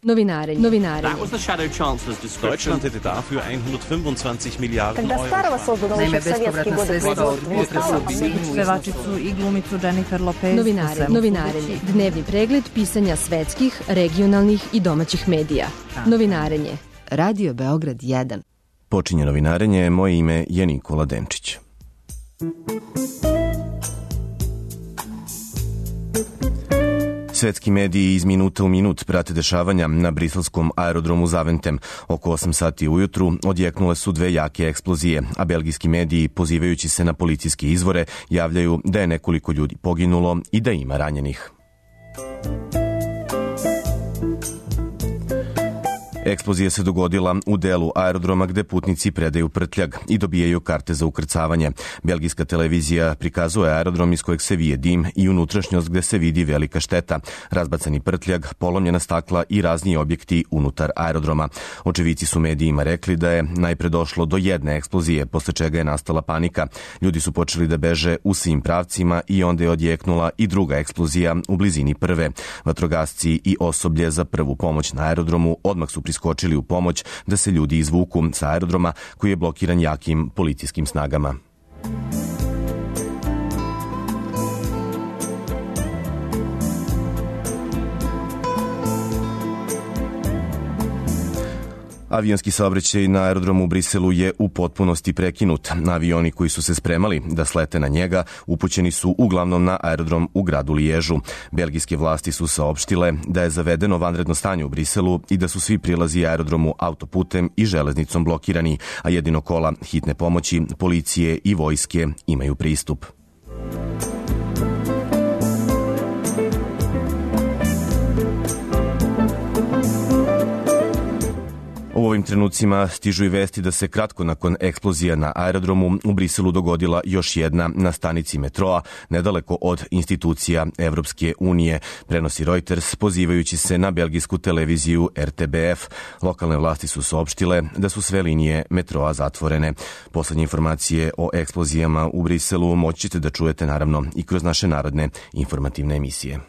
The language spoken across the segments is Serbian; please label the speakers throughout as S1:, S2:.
S1: Novinarenje.
S2: That was the Shadow Chancellor's description.
S3: Deutschland hätte dafür 125 Miliarden Euro.
S4: Naime, bespovratna sredstva od potresa u Sinju. Pevačicu i glumicu Jennifer Lopez.
S1: Novinarenje. Dnevni pregled pisanja svetskih, regionalnih i domaćih medija. Novinarenje. Radio Beograd 1.
S5: Počinje novinarenje, moje ime je Nikola Denčić. Svetski mediji iz minuta u minut prate dešavanja na briselskom aerodromu Zaventem. Oko 8 sati ujutru odjeknule su dve jake eksplozije, a belgijski mediji, pozivajući se na policijske izvore, javljaju da je nekoliko ljudi poginulo i da ima ranjenih. Eksplozija se dogodila u delu aerodroma gde putnici predaju prtljag i dobijaju karte za ukrcavanje. Belgijska televizija prikazuje aerodrom iz kojeg se vije dim i unutrašnjost gde se vidi velika šteta, razbacani prtljag, polomljena stakla i razni objekti unutar aerodroma. Očevici su medijima rekli da je najpre došlo do jedne eksplozije, posle čega je nastala panika. Ljudi su počeli da beže u svim pravcima i onda je odjeknula i druga eksplozija u blizini prve. Vatrogasci i osoblje za prvu pomoć na aerodromu odmah su priskočili u pomoć da se ljudi izvuku sa aerodroma koji je blokiran jakim policijskim snagama. Avionski saobraćaj na aerodromu u Briselu je u potpunosti prekinut. Avioni koji su se spremali da slete na njega upućeni su uglavnom na aerodrom u gradu Liježu. Belgijske vlasti su saopštile da je zavedeno vanredno stanje u Briselu i da su svi prilazi aerodromu autoputem i železnicom blokirani, a jedino kola hitne pomoći, policije i vojske imaju pristup. U ovim trenucima stižu i vesti da se kratko nakon eksplozija na aerodromu u Briselu dogodila još jedna na stanici metroa, nedaleko od institucija Evropske unije, prenosi Reuters pozivajući se na belgijsku televiziju RTBF. Lokalne vlasti su saopštile da su sve linije metroa zatvorene. Poslednje informacije o eksplozijama u Briselu moći ćete da čujete naravno i kroz naše narodne informativne emisije.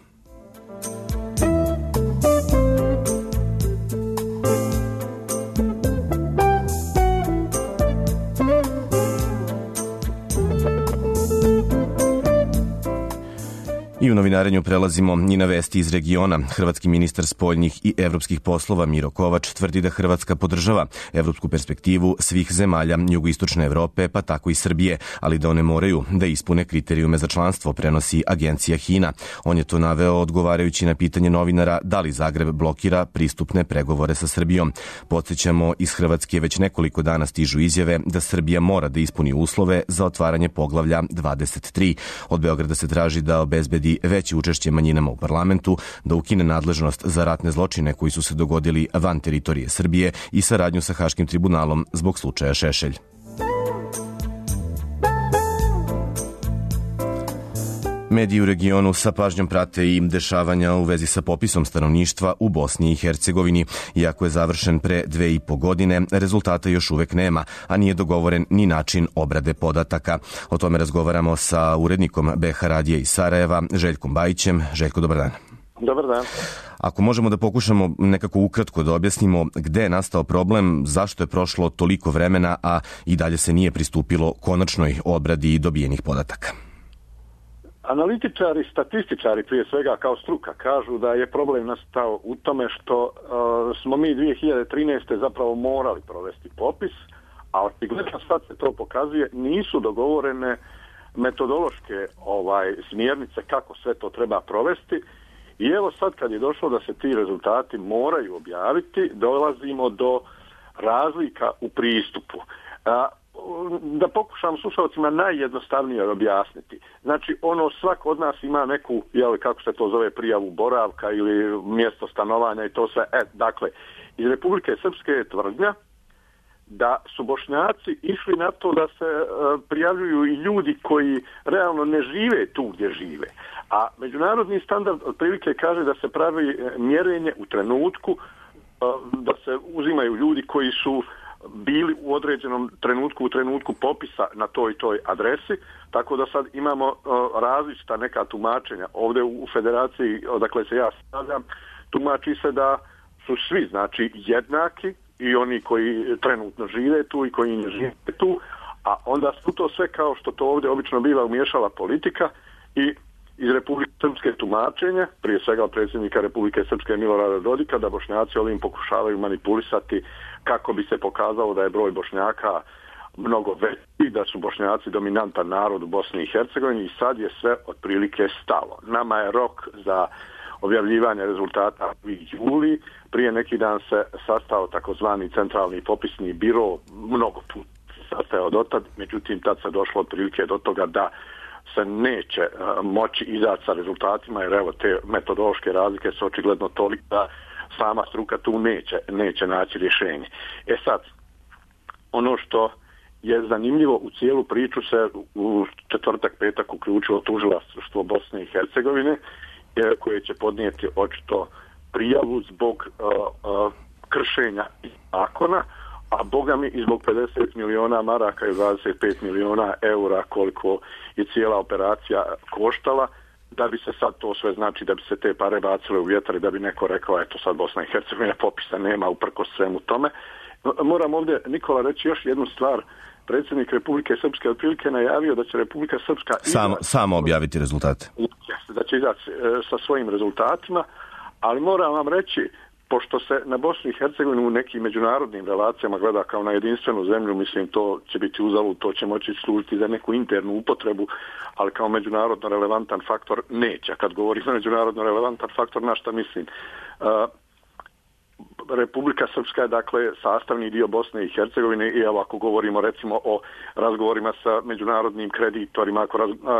S5: I u novinarenju prelazimo i na vesti iz regiona. Hrvatski ministar spoljnih i evropskih poslova Miro Kovač tvrdi da Hrvatska podržava evropsku perspektivu svih zemalja jugoistočne Evrope, pa tako i Srbije, ali da one moraju da ispune kriterijume za članstvo, prenosi agencija HINA. On je to naveo odgovarajući na pitanje novinara da li Zagreb blokira pristupne pregovore sa Srbijom. Podsjećamo, iz Hrvatske već nekoliko dana stižu izjave da Srbija mora da ispuni uslove za otvaranje poglavlja 23. Od Beograda se traži da obezbedi veće učešće manjinama u parlamentu, da ukine nadležnost za ratne zločine koji su se dogodili van teritorije Srbije i saradnju sa Haškim tribunalom zbog slučaja Šešelj. Mediji u regionu sa pažnjom prate i dešavanja u vezi sa popisom stanovništva u Bosni i Hercegovini. Iako je završen pre 2,5 godine, rezultata još uvek nema, a nije dogovoren ni način obrade podataka. O tome razgovaramo sa urednikom BH Radija iz Sarajeva, Željkom Bajićem. Željko, dobar dan.
S6: Dobar dan.
S5: Ako možemo da pokušamo nekako ukratko da objasnimo gde je nastao problem, zašto je prošlo toliko vremena, a i dalje se nije pristupilo konačnoj obradi dobijenih podataka.
S6: Analitičari, statističari prije svega kao struka kažu da je problem nastao u tome što smo mi 2013. zapravo morali provesti popis, a očigledno sad se to pokazuje, nisu dogovorene metodološke smjernice kako sve to treba provesti. I evo sad kad je došlo da se ti rezultati moraju objaviti, dolazimo do razlika u pristupu. Da pokušam slušalcima najjednostavnije objasniti. Znači, svako od nas ima neku, kako se to zove, prijavu boravka ili mjesto stanovanja i to sve. Dakle, iz Republike Srpske je tvrdnja da su Bošnjaci išli na to da se prijavljuju i ljudi koji realno ne žive tu gdje žive. A međunarodni standard otprilike kaže da se pravi mjerenje u trenutku, da se uzimaju ljudi koji su bili u određenom trenutku, u trenutku popisa na toj i toj adresi, tako da sad imamo različita neka tumačenja. Ovdje u Federaciji, odakle se ja stavljam, tumači se da su svi znači jednaki i oni koji trenutno žive tu i koji ne žive tu, a onda su to sve kao što to ovdje obično biva umiješala politika i iz Republike Srpske tumačenja, prije svega predsjednika Republike Srpske Milorada Dodika, da Bošnjaci ovim pokušavaju manipulisati kako bi se pokazalo da je broj Bošnjaka mnogo veći, da su Bošnjaci dominantan narod u Bosni i Hercegovini i sad je sve otprilike stalo. Nama je rok za objavljivanje rezultata u juli. Prije neki dan se sastao takozvani centralni popisni biro, mnogo puta sastao dotad, međutim tad se došlo otprilike do toga da se neće moći izaći sa rezultatima, jer evo te metodološke razlike su očigledno toliko da sama struka tu neće naći rješenje. Sad, ono što je zanimljivo, u cijelu priču se u četvrtak, petak uključilo tužilaštvo Bosne i Hercegovine, koje će podnijeti očito prijavu zbog kršenja zakona, a bogami i zbog 50 miliona maraka i 25 miliona eura koliko je cijela operacija koštala, da bi se sad to sve znači, da bi se te pare bacile u vjetar i da bi neko rekao, eto sad Bosna i Hercegovina popisa nema uprkos svemu tome. Moram ovdje, Nikola, reći još jednu stvar. Predsjednik Republike Srpske otprilike najavio da će Republika Srpska
S5: samo objaviti rezultate.
S6: Da će izaći sa svojim rezultatima, ali moram vam reći, pošto se na Bosni i Hercegovini u nekim međunarodnim relacijama gleda kao na jedinstvenu zemlju, mislim to će biti uzalud, to će moći služiti za neku internu upotrebu, ali kao međunarodno relevantan faktor neće. Kad govorim o međunarodno relevantan faktor, na šta mislim? Republika Srpska je dakle sastavni dio Bosne i Hercegovine i evo ako govorimo recimo o razgovorima sa međunarodnim kreditorima,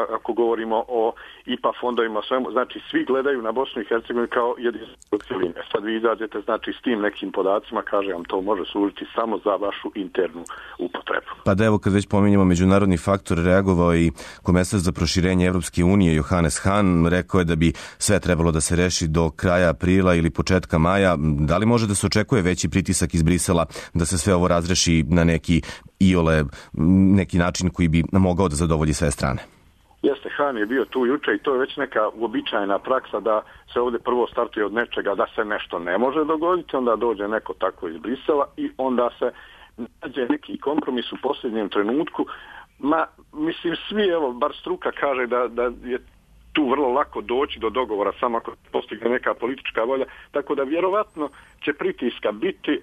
S6: ako govorimo o IPA fondovima, svemu, znači svi gledaju na Bosnu i Hercegovinu kao jedinstvenu cjelinu. Sad vi izađete znači s tim nekim podacima, kaže vam to može služiti samo za vašu internu upotrebu.
S5: Pa da evo kad već pominjemo međunarodni faktor, reagovao i komesar za proširenje Evropske unije Johannes Hahn, rekao je da bi sve trebalo da se reši do kraja aprila ili početka maja. Da li može da se očekuje veći pritisak iz Brisela da se sve ovo razreši na neki način koji bi mogao da zadovolji sve strane?
S6: Jeste, Hahn je bio tu juče i to je već neka uobičajena praksa da se ovdje prvo startuje od nečega da se nešto ne može dogoditi, onda dođe neko tako iz Brisela i onda se nađe neki kompromis u posljednjem trenutku. Mislim, svi, evo, bar struka kaže da je tu vrlo lako doći do dogovora samo ako postigne neka politička volja, tako da vjerovatno će pritiska biti.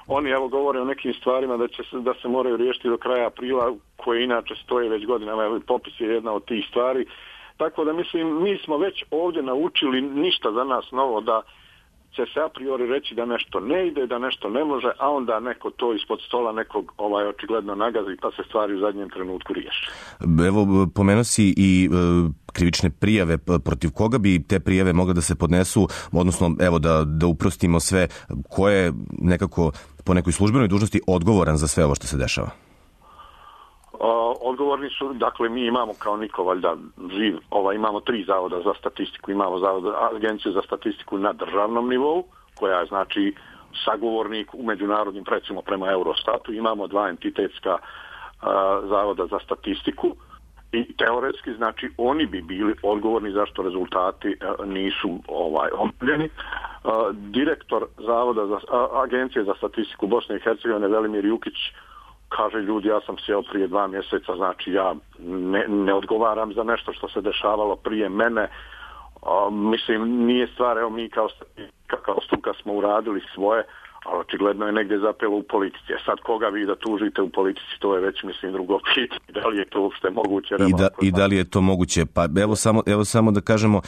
S6: Oni evo govore o nekim stvarima da se moraju riješiti do kraja aprila, koje inače stoje već godinama, popis je jedna od tih stvari. Tako da mislim, mi smo već ovdje naučili, ništa za nas novo, da će se a priori reći da nešto ne ide, da nešto ne može, a onda neko to ispod stola nekog očigledno nagazi pa se stvari u zadnjem trenutku riješi.
S5: Evo, pomenuo si i krivične prijave, protiv koga bi te prijave mogle da se podnesu, odnosno evo da uprostimo sve, ko je nekako po nekoj službenoj dužnosti odgovoran za sve ovo što se dešava?
S6: Odgovorni su, dakle mi imamo kao niko valjda živ, imamo 3 zavoda za statistiku, imamo agenciju za statistiku na državnom nivou, koja je znači sagovornik u međunarodnim, recimo prema Eurostatu, imamo 2 entitetska zavoda za statistiku i teoretski znači oni bi bili odgovorni zašto rezultati nisu objavljeni. Direktor zavoda za agencije za statistiku Bosne i Hercegovine Velimir Jukić kaže, ljudi, ja sam sjeo prije 2 mjeseca, znači ja ne odgovaram za nešto što se dešavalo prije mene. Mislim, nije stvar, evo mi kao struka smo uradili svoje, ali očigledno je negdje zapelo u politici. Sad koga vi da tužite u politici, to je već, mislim, drugo pitanje. Da li je to uopšte moguće?
S5: I da li je to moguće? Pa evo samo da kažemo,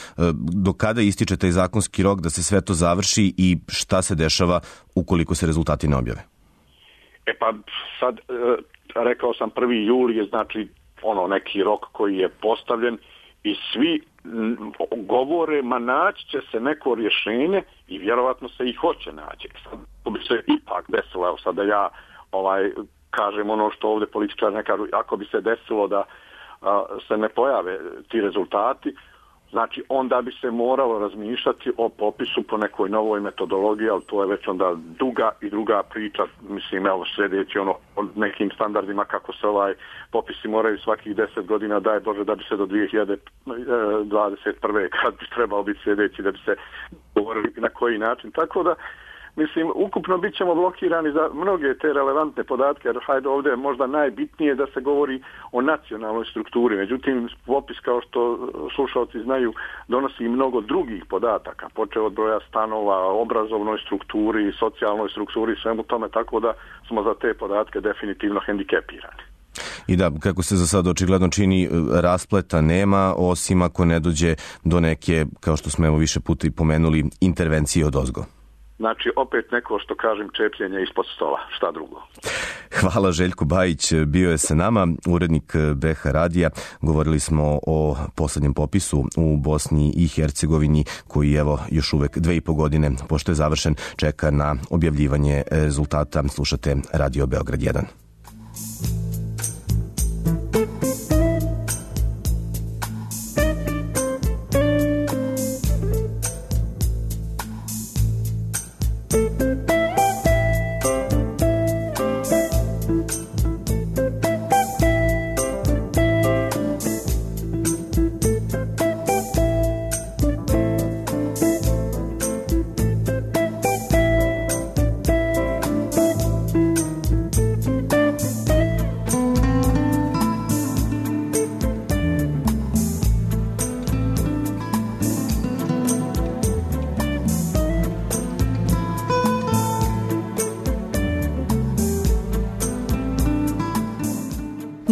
S5: do kada ističe taj zakonski rok da se sve to završi i šta se dešava ukoliko se rezultati ne objave?
S6: Pa sad, rekao sam 1. juli je znači neki rok koji je postavljen i svi govore, naći će se neko rješenje i vjerovatno se i hoće naći. Sad, to bi se ipak desilo, evo sad da ja kažem ono što ovdje političari ne kažu, ako bi se desilo da se ne pojave ti rezultati, Znači, onda bi se moralo razmišljati o popisu po nekoj novoj metodologiji, ali to je već onda duga i druga priča, mislim, evo, sljedeći o nekim standardima kako se popisi moraju svakih 10 godina, daj Bože, da bi se do 2021. kad bi trebao biti sljedeći, da bi se govorili na koji način. Tako da, mislim, ukupno bit ćemo blokirani za mnoge te relevantne podatke, jer hajde ovdje je možda najbitnije da se govori o nacionalnoj strukturi. Međutim, popis, kao što slušalci znaju, donosi i mnogo drugih podataka, počeo od broja stanova, obrazovnoj strukturi, socijalnoj strukturi, svemu tome, tako da smo za te podatke definitivno hendikepirani.
S5: I da, kako se za sad očigledno čini, raspleta nema, osim ako ne dođe do neke, kao što smo evo više puta i pomenuli, intervencije odozgo.
S6: Znači, opet neko, što kažem, čepljenje ispod stola, šta drugo.
S5: Hvala, Željko Bajić bio je sa nama, urednik BH Radija. Govorili smo o poslednjem popisu u Bosni i Hercegovini, koji evo još uvek 2,5 godine, pošto je završen, čeka na objavljivanje rezultata. Slušate Radio Beograd 1.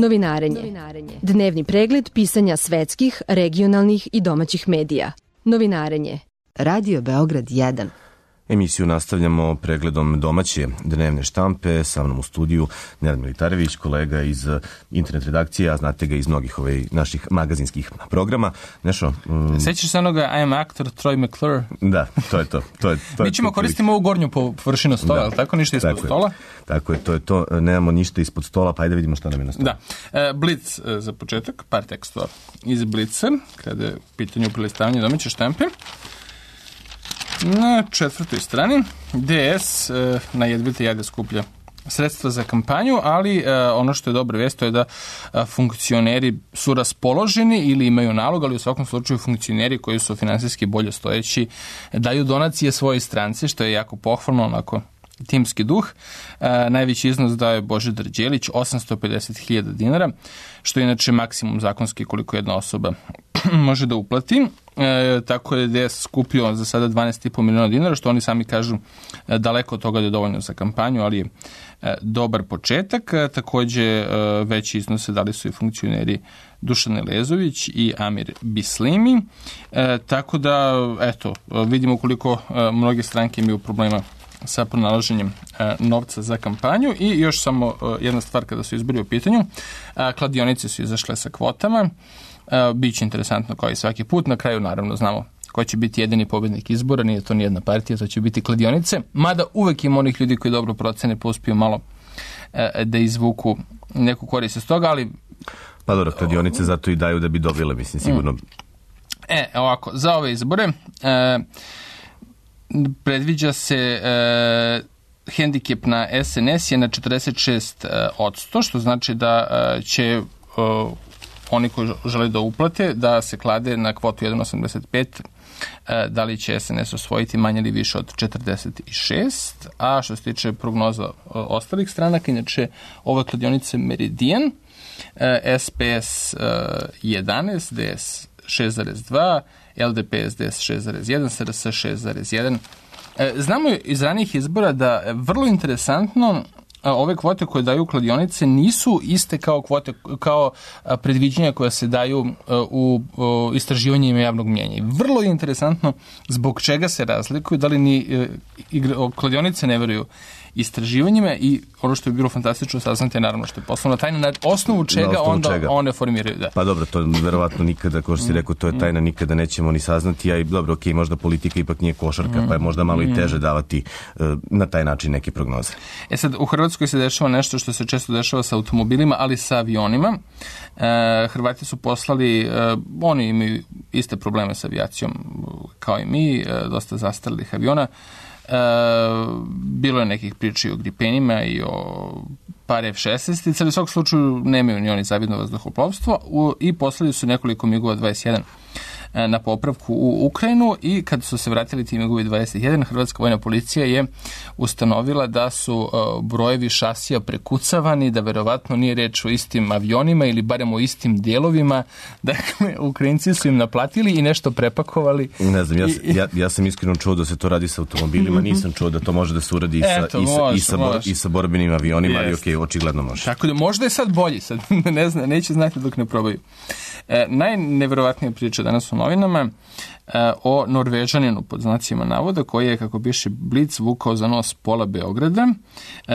S1: Novinarenje. Dnevni pregled pisanja svetskih, regionalnih i domaćih medija. Novinarenje. Radio Beograd 1.
S5: Emisiju nastavljamo pregledom domaće dnevne štampe. Sa mnom u studiju Nenad Militarević, kolega iz internet redakcije, a znate ga iz mnogih naših magazinskih programa. Nešo?
S7: Sećaš se onoga I am actor Troy McClure?
S5: Da, to je to.
S7: Mi ćemo koristiti ovu gornju površinu stola, ali tako? Ništa ispod stola?
S5: Tako je, to je to. Nemamo ništa ispod stola, pa ajde vidimo šta nam je na stolu.
S7: Da. Blitz za početak, par tekstova iz Blitza, kada je u pitanju prelistavanje domaće štampe. Na 4. strani DS na jedvite jade skuplja sredstva za kampanju, ali ono što je dobra vest to je da funkcioneri su raspoloženi ili imaju nalog, ali u svakom slučaju funkcioneri koji su finansijski bolje stojeći daju donacije svojoj stranci, što je jako pohvalno, onako timski duh. Najveći iznos dao je Božidar Đelić, 850.000 dinara, što je inače maksimum zakonski koliko jedna osoba može da uplati. Tako je DS skupio za sada 12,5 miliona dinara, što oni sami kažu daleko od toga da je dovoljno za kampanju, ali je dobar početak. Takođe veći iznose dali su i funkcioneri Dušan Elezović i Amir Bislimi. Tako da, eto, vidimo koliko mnoge stranke imaju problema sa pronalaženjem novca za kampanju. I još samo jedna stvar kada su izbori u pitanju. Kladionice su izašle sa kvotama. Biće interesantno kao i svaki put. Na kraju naravno znamo ko će biti jedini pobednik izbora. Nije to nijedna partija, to će biti kladionice. Mada uvek ima onih ljudi koji dobro procene pa uspiju malo da izvuku neku korist iz toga, ali...
S5: Pa dobro, kladionice zato i daju da bi dobile, mislim, sigurno.
S7: Ovako, za ove izbore predviđa se hendikep na SNS je na 46%, što znači da će oni koji žele da uplate da se klade na kvotu 1,85, da li će SNS osvojiti manje ili više od 46, a što se tiče prognoza ostalih stranaka, inače ove kladionice Meridian, SPS 11, DS 6,2, LDP SDS 6,1, SRS 6,1. Znamo iz ranijih izbora da vrlo interesantno ove kvote koje daju kladionice nisu iste kao kvote, kao predviđenja koja se daju u istraživanjima javnog mnjenja. Vrlo je interesantno zbog čega se razlikuju, da li ni kladionice ne veruju istraživanjima i ono što je bilo fantastično saznati je naravno što je poslovna tajna, na osnovu čega onda one formiraju. Da.
S5: Pa dobro, to verovatno nikada, kao što si rekao, to je tajna, nikada nećemo ni saznati, a i dobro, okej, možda politika ipak nije košarka, pa je možda malo i teže davati na taj način neke prognoze.
S7: Sad, u Hrvatskoj se dešava nešto što se često dešava sa automobilima, ali sa avionima. Hrvati su poslali, oni imaju iste probleme sa avijacijom kao i mi, dosta zastarelih aviona. Bilo je nekih priča i o Gripenima i o par F-16, ali u svakom slučaju nemaju ni oni zavidno vazduhoplovstvo i poslali su nekoliko MiG-ova 21 na popravku u Ukrajinu i kad su se vratili ti MiG-ovi 21, Hrvatska vojna policija je ustanovila da su brojevi šasija prekucavani, da verovatno nije reč o istim avionima ili barem o istim delovima. Dakle, Ukrajinci su im naplatili i nešto prepakovali.
S5: Ne znam, ja sam iskreno čuo da se to radi sa automobilima, nisam čuo da to može da se uradi i sa borbenim avionima, ali okej, očigledno može.
S7: Tako da možda je sad bolji, sad ne zna, neće znati dok ne probaju. Najneverovatnija priča danas u novinama o Norvežaninu pod znacima navoda koji je, kako piše Blic, vukao za nos pola Beograda.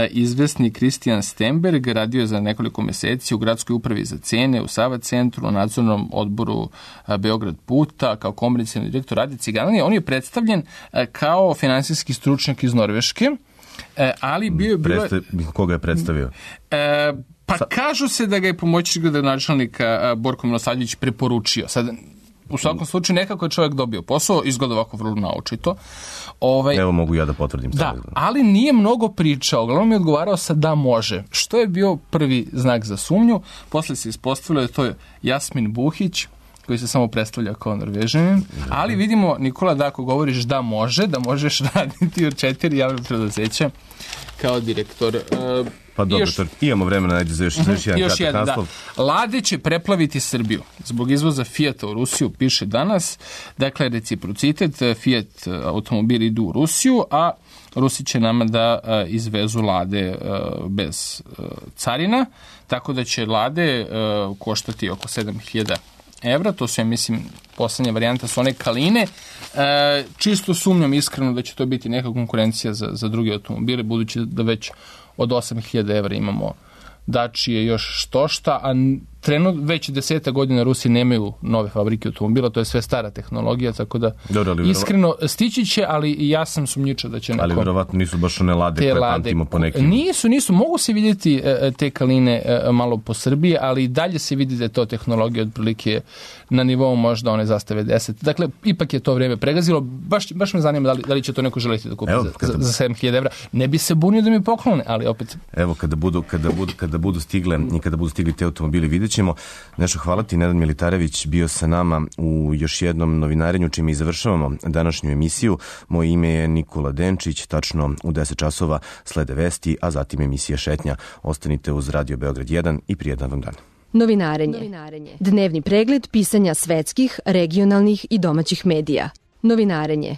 S7: Izvesni Kristijan Stenberg radio je za nekoliko meseci u gradskoj upravi za cene, u Sava centru, u nadzornom odboru Beograd puta, kao komercijalni direktor radi cigananje. On je predstavljen kao finansijski stručnjak iz Norveške, ali bio je...
S5: Koga je predstavio?
S7: Pa kažu se da ga je pomoćnik gradonačelnika Borko Milosavljević preporučio. Sad, u svakom slučaju nekako je čovjek dobio posao, izgleda ovako vrlo naočito.
S5: Evo mogu ja da potvrdim.
S7: Da, ali nije mnogo pričao, uglavnom mi je odgovarao sa da može. Što je bio prvi znak za sumnju? Posle se ispostavilo da to je Jasmin Buhić, koji se samo predstavlja kao Norvežanin, ali vidimo, Nikola, da ako govoriš da može, da možeš raditi u 4 javne preduzeća kao direktor.
S5: Pa dobro, imamo vremena za još jedan kratak naslov.
S7: Lade će preplaviti Srbiju zbog izvoza Fijata u Rusiju, piše danas. Dakle, reciprocitet, Fiat automobili idu u Rusiju, a Rusi će nama da izvezu Lade bez carina, tako da će Lade koštati oko 7.000 evra, to su, ja mislim, poslednja varijanta su one Kaline. Čisto sumnjam iskreno da će to biti neka konkurencija za druge automobile, budući da već od 8.000 evra imamo Dačije još štošta, a trenutno već 10 godina Rusi nemaju nove fabrike automobila, to je sve stara tehnologija, tako da iskreno stići će, ali ja sam sumnjiča da će neko...
S5: Ali verovatno nisu baš one Lade koje pamtimo po nekim...
S7: Nisu, mogu se vidjeti te Kaline malo po Srbiji, ali i dalje se vidi da je to tehnologija otprilike na nivou možda one Zastave 10. Dakle, ipak je to vreme pregazilo, baš me zanima da li će to neko želiti da kupi za 7.000 evra. Ne bi se bunio da mi poklone, ali opet...
S5: Evo, kada budu stigli te automobili, vidjet ćemo. Nešto, hvala ti, Nenad Militarević bio sa nama u još jednom novinarenju, čime i završavamo današnju emisiju. Moje ime je Nikola Denčić, tačno u 10 časova slede vesti, a zatim emisija Šetnja. Ostanite uz Radio Beograd 1 i prijetan vam dan.
S1: Novinarenje. Dnevni pregled pisanja svetskih, regionalnih i domaćih medija. Novinarenje.